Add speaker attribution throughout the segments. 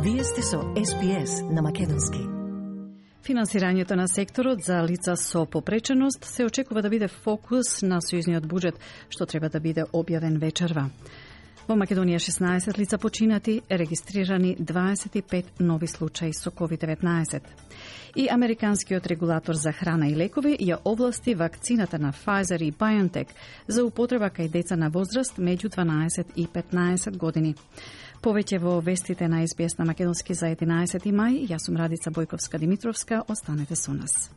Speaker 1: Вие сте со SBS на македонски.
Speaker 2: Финансирањето на секторот за лица со попреченост се очекува да биде фокус на сојузниот буџет, што треба да биде објавен вечерва. Во Македонија 16 лица починати, регистрирани 25 нови случаи со COVID-19. И американскиот регулатор за храна и лекови ја овласти вакцината на Pfizer и BioNTech за употреба кај деца на возраст меѓу 12 и 15 години. Повеќе во вестите на SBS на македонски за 11 мај. Јас сум Радица Бојковска-Димитровска. Останете со нас.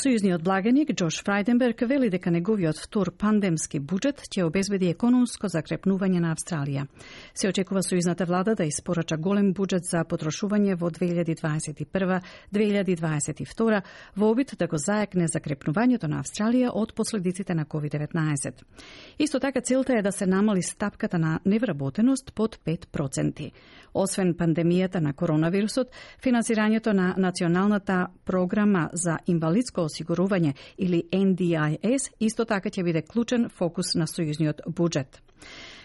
Speaker 2: Сојузниот благаник Џош Фрајденберг вели дека неговиот втор пандемски буџет ќе обезбеди економско закрепнување на Австралија. Се очекува сојузната влада да испорача голем буџет за потрошување во 2021-2022 во обид да го заекне закрепнувањето на Австралија од последиците на COVID-19. Исто така целта е да се намали стапката на невработеност под 5%. Освен пандемијата на коронавирусот, финансирањето на Националната програма за инвалидско осигурување или NDIS исто така ќе биде клучен фокус на сојузниот буџет.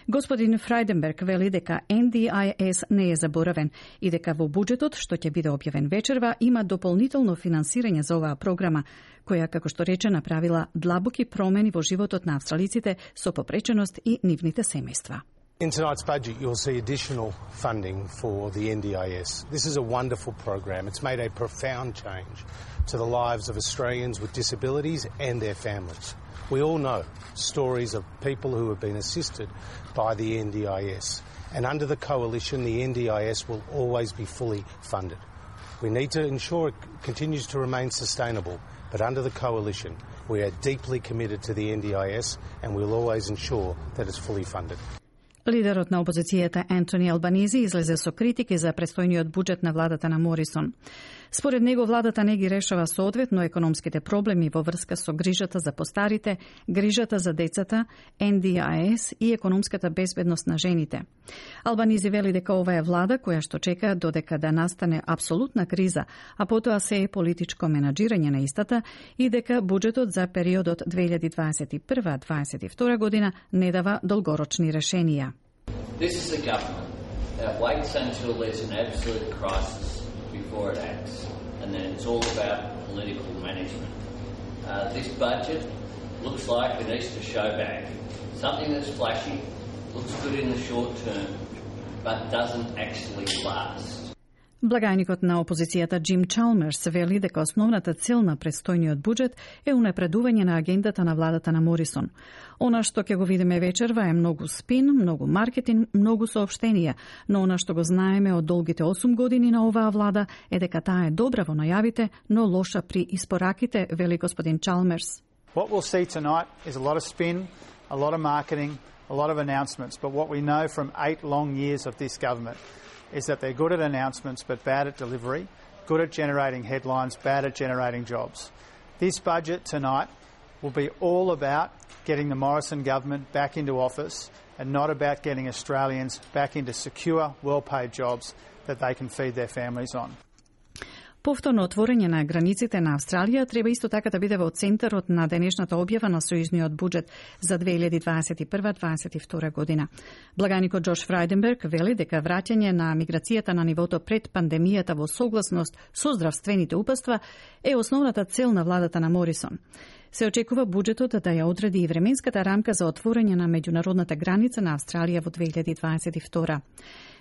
Speaker 2: Господин Фрајденберг вели дека NDIS не е заборавен и дека во буџетот, што ќе биде објавен вечерва, има дополнително финансирање за оваа програма, која, како што рече, направила длабоки промени во животот на австралиците со попреченост и нивните семејства.
Speaker 3: In tonight's budget, you'll see additional funding for the NDIS. This is a wonderful program. It's made a profound change to the lives of Australians with disabilities and their families. We all know stories of people who have been assisted by the NDIS. And under the coalition, the NDIS will always be fully funded. We need to ensure it continues to remain sustainable, but under the coalition, we are deeply committed to the NDIS and we'll always ensure that it's fully funded.
Speaker 2: Лидерот на опозицијата Ентони Албанизи излезе со критики за престојниот буџет на владата на Морисон. Според него, владата не ги решава соодветно економските проблеми во врска со грижата за постарите, грижата за децата, NDIS и економската безбедност на жените. Албанизи вели дека ова е влада која што чека додека да настане апсолутна криза, а потоа се е политичко менаџирање на истата и дека буџетот за периодот 2021-2022 година не дава долгорочни решенија.
Speaker 4: This is a government that waits until there's an absolute crisis before it acts, and then it's all about political management. This budget looks like an Easter showbag, something that's flashy, looks good in the short term, but doesn't actually last.
Speaker 2: Благајникот на опозицијата Джим Чалмерс вели дека основната цел на престојниот буџет е унапредување на агендата на владата на Морисон. Она што ќе го видиме вечерва е многу спин, многу маркетинг, многу соопштенија, но она што го знаеме од долгите 8 години на оваа влада е дека таа е добра во најавите, но лоша при испораките, вели господин Чалмерс.
Speaker 5: What we'll see tonight is a lot of spin, a lot of marketing, a lot of announcements, but what we know from 8 long years of this government is that they're good at announcements but bad at delivery, good at generating headlines, bad at generating jobs. This budget tonight will be all about getting the Morrison government back into office and not about getting Australians back into secure, well-paid jobs that they can feed their families on.
Speaker 2: Повторно отворање на границите на Австралија треба исто така да биде во центарот на денешната објава на сојузниот буџет за 2021-2022 година. Благаникот Џош Фрајденберг вели дека враќање на миграцијата на нивото пред пандемијата во согласност со здравствените упатства е основната цел на владата на Морисон. Се очекува буџетот да ја одреди и временската рамка за отворање на меѓународната граница на Австралија во 2022.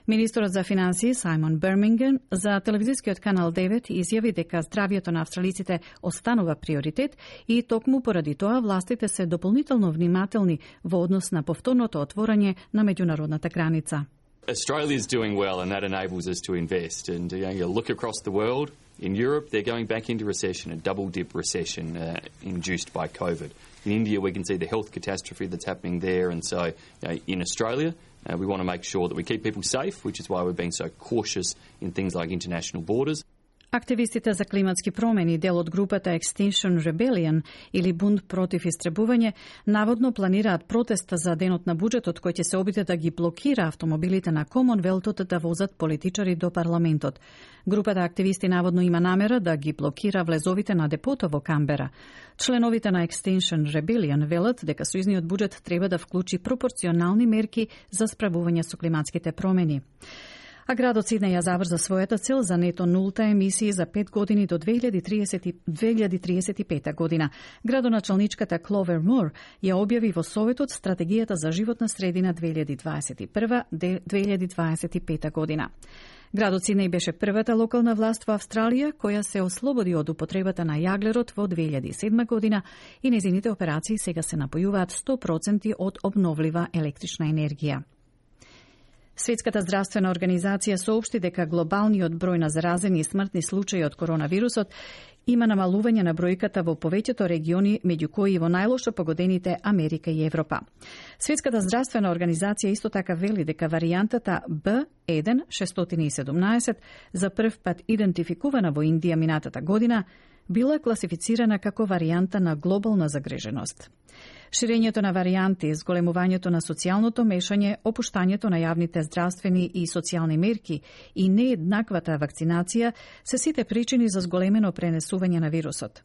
Speaker 2: Министерот за финансии Сајмон Берминген за телевизискиот канал 9 изјави дека здравјето на австралиците останува приоритет и токму поради тоа властите се дополнително внимателни во однос на повторното отворање на меѓународната граница.
Speaker 6: Australia is doing well and that enables us to invest. And you look across the world, in Europe they're going back into recession, a double-dip recession induced by COVID. In India we can see the health catastrophe that's happening there, and so in Australia we want to make sure that we keep people safe, which is why we're being so cautious in things like international borders.
Speaker 2: Активистите за климатски промени, дел од групата Extinction Rebellion или бунт против истребување, наводно планираат протест за денот на буџетот кој ќе се обиде да ги блокира автомобилите на Комонвелтот да возат политичари до парламентот. Групата активисти наводно има намера да ги блокира влезовите на депото во Камбера. Членовите на Extinction Rebellion велат дека сојузниот буџет треба да вклучи пропорционални мерки за справување со климатските промени. А градот Сиднеј ја заврза својата цел за нето нулта емисии за 5 години до 2035 година. Градоначалничката Кловер Мур ја објави во Советот стратегијата за животна средина 2021-2025 година. Градот Сиднеј беше првата локална власт во Австралија која се ослободи од употребата на јаглерод во 2007 година и незините операции сега се напојуваат 100% од обновлива електрична енергија. Светската здравствена организација соопшти дека глобалниот број на заразени и смртни случаи од коронавирусот има намалување на бројката во повеќето региони, меѓу кои и во најлошо погодените Америка и Европа. Светската здравствена организација исто така вели дека варијантата B1617 за прв пат идентификувана во Индија минатата година била класифицирана како варијанта на глобална загреженост. Ширењето на варијанти, зголемувањето на социјалното мешање, опуштањето на јавните здравствени и социјални мерки и нееднаквата вакцинација се сите причини за зголемено пренесување на вирусот.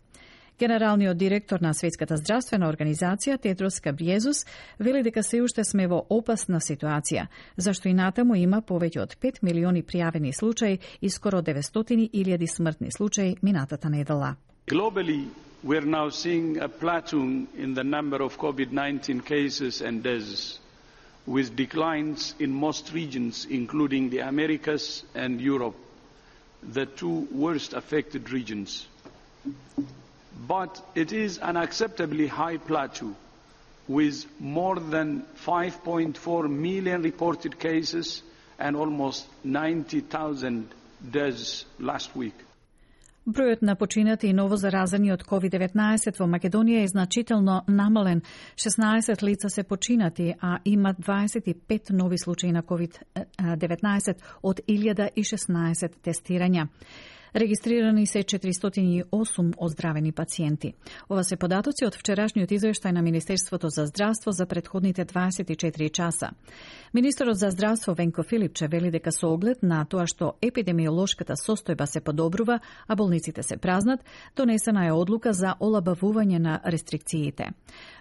Speaker 2: Генералниот директор на Светската здравствена организација Тедрос Гебријезус вели дека се уште сме во опасна ситуација, зашто и натаму има повеќе од 5 милиони пријавени случаи и скоро 900.000 смртни случаи минатата недела.
Speaker 7: Globally, we're now seeing a plateau in the number of COVID-19 cases and deaths, with declines in most regions, including the Americas and Europe, the two worst affected regions. But it is an unacceptably high plateau, with more than 5.4 million reported cases and almost 90,000 deaths last week.
Speaker 2: Бројот на починати и новозаразени од COVID-19 во Македонија е значително намален. 16 лица се починати, а има 25 нови случаи на COVID-19 од 1016 тестирања. Регистрирани се 408 оздравени пациенти. Ова се податоци од вчерашниот извештај на Министерството за здравство за претходните 24 часа. Министерот за здравство Венко Филипче вели дека со оглед на тоа што епидемиолошката состојба се подобрува, а болниците се празнат, донесена е одлука за олабавување на рестрикциите.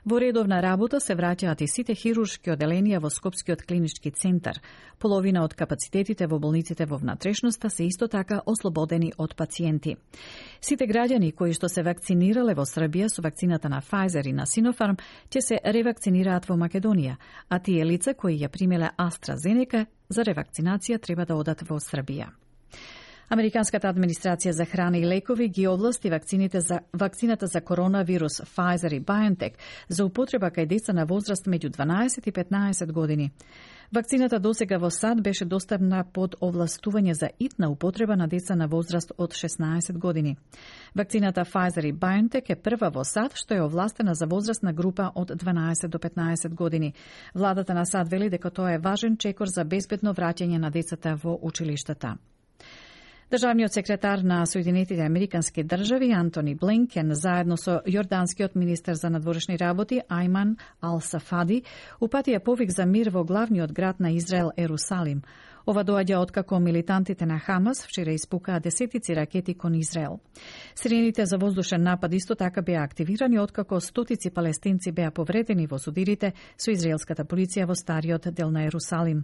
Speaker 2: Во редовна работа се враќаат и сите хируршки оделенија во Скопскиот клинички центар. Половина од капацитетите во болниците во внатрешноста се исто така ослободени од пациенти. Сите граѓани кои што се вакцинирале во Србија со вакцината на Pfizer и на Sinopharm ќе се ревакцинираат во Македонија, а тие лица кои ја примеле AstraZeneca за ревакцинација треба да одат во Србија. Американската администрација за храна и лекови ги овласти вакцината за коронавирус Pfizer и BioNTech за употреба кај деца на возраст меѓу 12 и 15 години. Вакцината досега во САД беше достапна под овластување за итна употреба на деца на возраст од 16 години. Вакцината Pfizer и BioNTech е прва во САД што е овластена за возрастна група од 12 до 15 години. Владата на САД вели дека тоа е важен чекор за безбедно враќање на децата во училиштата. Државниот секретар на Соединетите Американски држави Антони Блинкен заедно со јорданскиот министер за надворешни работи Ајман Ал-Сафади упатија повик за мир во главниот град на Израел Ерусалим. Ова доаѓа откако милитантите на Хамас вчера испукаа десетици ракети кон Израел. Сирените за воздушен напад исто така беа активирани откако стотици палестинци беа повредени во судирите со израелската полиција во стариот дел на Ерусалим.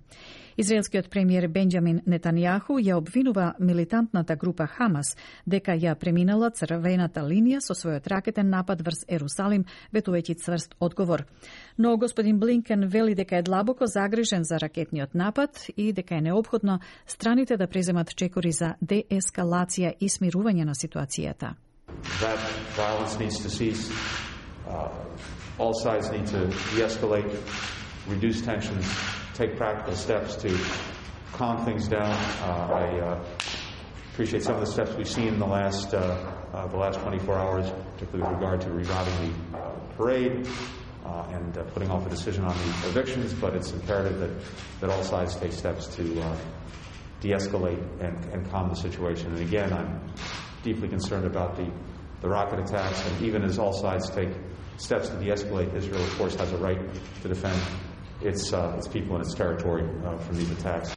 Speaker 2: Израелскиот премиер Бенџамин Нетанијаху ја обвинува милитантната група Хамас дека ја преминала црвената линија со својот ракетен напад врз Ерусалим, ветувајќи цврст одговор. Но господин Блинкен вели дека е длабоко загрижен за ракетниот напад и дека е неопходно страните да преземат чекори за деескалација и смирување на ситуацијата.
Speaker 8: That violence needs to cease. All sides need to de-escalate, reduce tensions, take practical steps to calm things down. I appreciate some of the steps we've seen in the last 24 hours, particularly with regard to reviving the parade and putting off a decision on the evictions, but it's imperative that all sides take steps to de-escalate and calm the situation. And again, I'm deeply concerned about the rocket attacks, and even as all sides take steps to de-escalate, Israel, of course, has a right to defend its people and its territory from these attacks.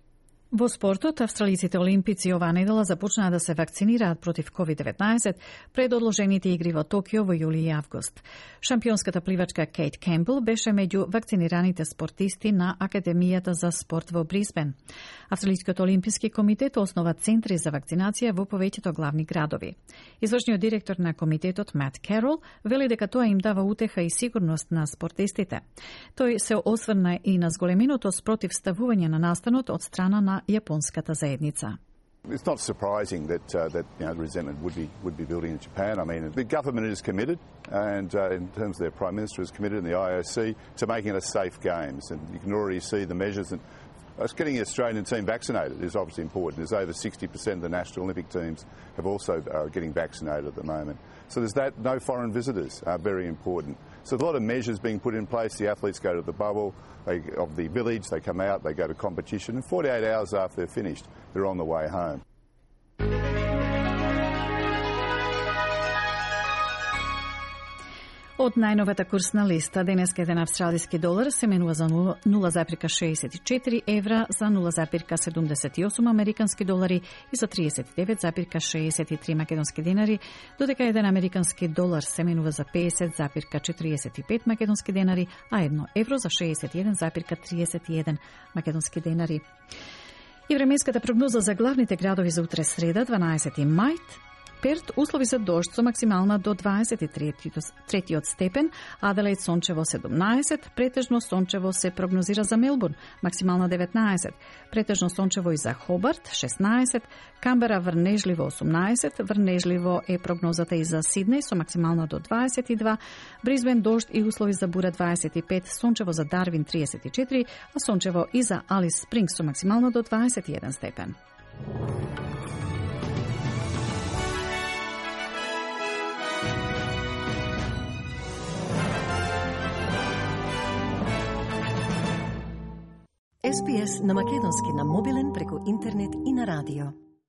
Speaker 2: Во спортот, австралиците олимпици оваа недела започнаа да се вакцинираат против COVID-19 пред одложените игри во Токио во јули и август. Шампионската пливачка Кейт Кемпбел беше меѓу вакцинираните спортисти на Академијата за спорт во Брисбен. Австралискиот олимписки комитет основа центри за вакцинација во повеќето главни градови. Извршниот директор на комитетот Мат Керол вели дека тоа им дава утеха и сигурност на спортистите. Тој се осврна и на зголеменото спротивставување на настанот од страна на јапонската заедница.
Speaker 9: It's not surprising that resentment would be building in Japan. I mean, the government is committed, and in terms of their Prime Minister is committed, and the IOC, to making it a safe games. And you can already see the measures. And getting the Australian team vaccinated is obviously important. There's over 60% of the national Olympic teams have also getting vaccinated at the moment. So there's that. No foreign visitors are very important. So a lot of measures being put in place. The athletes go to the bubble of the village, they come out, they go to competition, and 48 hours after they're finished, they're on the way home.
Speaker 2: Од најновата курсна листа, денеска еден австралиски долар се менува за 0,64 евра, за 0,78 американски долари и за 39,63 македонски денари, додека еден американски долар се менува за 50,45 македонски денари, а 1 евро за 61,31 македонски денари. И временската прогноза за главните градови за утре среда, 12 мај. Перт, услови за дожд со максимална до 23 степен, Аделаид сончево 17, претежно сончево се прогнозира за Мелбурн, максимална 19, претежно сончево и за Хобарт 16, Камбера врнежливо 18, врнежливо е прогнозата и за Сиднеј со максимална до 22, Брисбен дожд и услови за бура 25, сончево за Дарвин 34, а сончево и за Алис Спрингс со максимална до 21 степен.
Speaker 1: SPS на македонски на мобилен преку интернет и на радио.